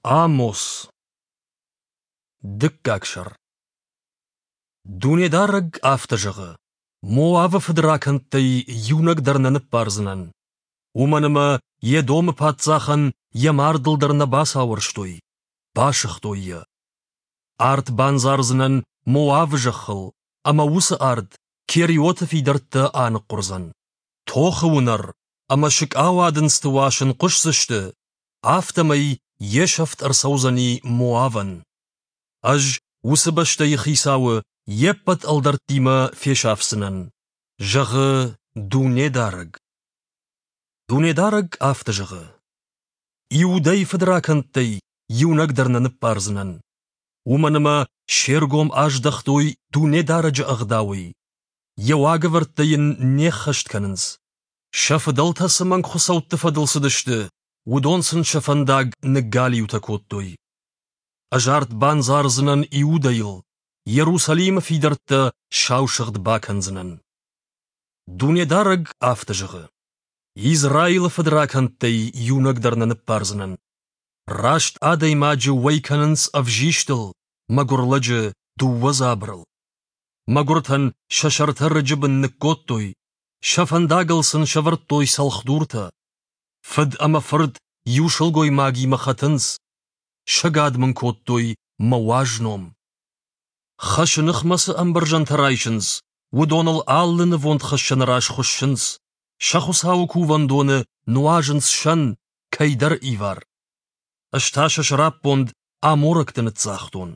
Амос. Дыккаг сӕр. Дунедарӕг афтӕ зӕгъы: Моавы фыдракӕндтӕй иунӕг дӕр нӕ ныббардзынӕн. Уымӕн ӕмӕ Едомы паддзахӕн йӕ мардыл дӕр нӕ бацауӕрстой, басыгътой йӕ. Арт бандзардзынӕн Моавы зӕххыл, ӕмӕ уыцы арт Кериоты фидӕрттӕ аныхъхъуырдзӕн. Тохы уынӕр ӕмӕ сыкъауадындзты уасын хъуысдзысты, афтӕмӕй йе сӕфт ӕрцӕудзӕни Моавӕн. Ӕз уыцы бӕстӕйы хицауы йе ппӕт ӕлдӕрттимӕ фесафдзынӕн, зӕгъы Дунедарӕг. Дунедарӕг афтӕ зӕгъы: Иудӕйы фыдракӕндтӕй иунӕг дӕр нӕ ныббардзынӕн. Уымӕн ӕмӕ се ргом аздӕхтой Дунедарӕджы ӕгъдауӕй, йӕ уагӕвӕрдтӕ йын не ххӕст кӕнынц. Сӕ фыдӕлтӕ цы мӕнгхуыцӕутты фӕдыл цыдысты, уыдон сын сӕ фӕндаг ныггалиутӕ кодтой. Ӕз арт бандзардзынӕн Иудӕйыл, Иерусалимы фидӕрттӕ саусыгъд бакӕндзынӕн. Дунедарӕг афтӕ зӕгъы: Израилы фыдракӕндтӕй иунӕг дӕр нӕ ныббардзынӕн. Раст адӕймаджы уӕй кӕнынц ӕвзистыл, мӕгуыр лӕджы дыууӕ дзабырыл. Мӕгуыртӕн сӕ сӕртӕ рыджы бын ныккодтой, сӕ фӕндагыл сын сӕвӕрдтой цӕлхдуртӕ. Фыд ӕмӕ фырт иу сылгоймагимӕ хӕтынц, сӕгад мын кодтой мӕ уаз ном. Хӕсы ныхмӕ цы ӕмбӕрзӕнтӕ райсынц, уыдоныл алы нывондхӕссӕны раз хуыссынц, сӕ Хуыцауы кувӕндоны нуазынц сӕн, кӕйдӕр ивар. Ӕз та сӕ сӕраппонд аморӕгты ныццагътон.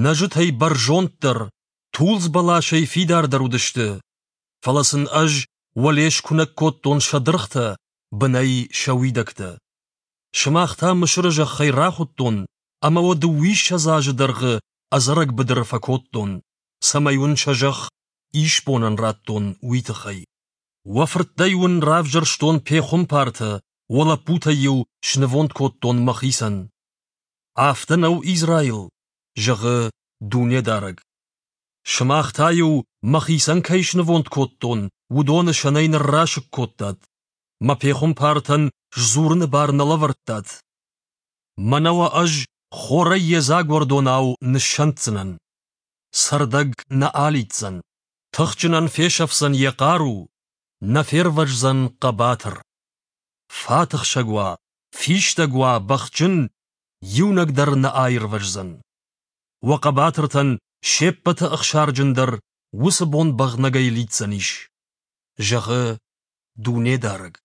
Нӕзытӕй бӕрзонддӕр, тулдз бӕласӕй фидардӕр уыдысты, фӕлӕ сын ӕз уӕле скуынӕг кодтон сӕ дыргътӕ, бынӕй сӕ уидӕгтӕ. Сымах та Мысыры зӕххӕй рахуыдтон ӕмӕ уӕ дыууиссӕдз азы дӕргъы ӕдзӕрӕг быдыры фӕкодтон, цӕмӕй уын сӕ зӕхх исбонӕн радтон, уый тыххӕй. Уӕ фырттӕй уын равзӕрстон пехуымпартӕ, уӕ лӕппутӕй-иу снывонд кодтон мӕхицӕн. Афтӕ нӕу Израил, зӕгъы Дунедарӕг. Сымах та-иу, мӕхицӕн кӕй снывонд кодтон, уыдоны сӕнӕй ныррасыг кодтат. Мӕ пехуымпартӕн сдзурыны бар нӕ лӕвӕрдтат. Мӕнӕ уӕ ӕз хорӕй йедзаг уӕрдонау ныссӕнддзынӕн. Цӕрдӕг нӕ алидздзӕн, тыхджынӕн фесӕфдзӕн йӕ хъару, нӕ фервӕздзӕн хъӕбатыр. Фатыхсӕг уа, фистӕг уа, бӕхджын, иунӕг дӕр нӕ аирвӕздзӕн. Уӕ хъӕбатыртӕн се ппӕты ӕхсарджындӕр уыцы бон бӕгънӕгӕй лидздзӕнис, зӕгъы Дунедарӕг.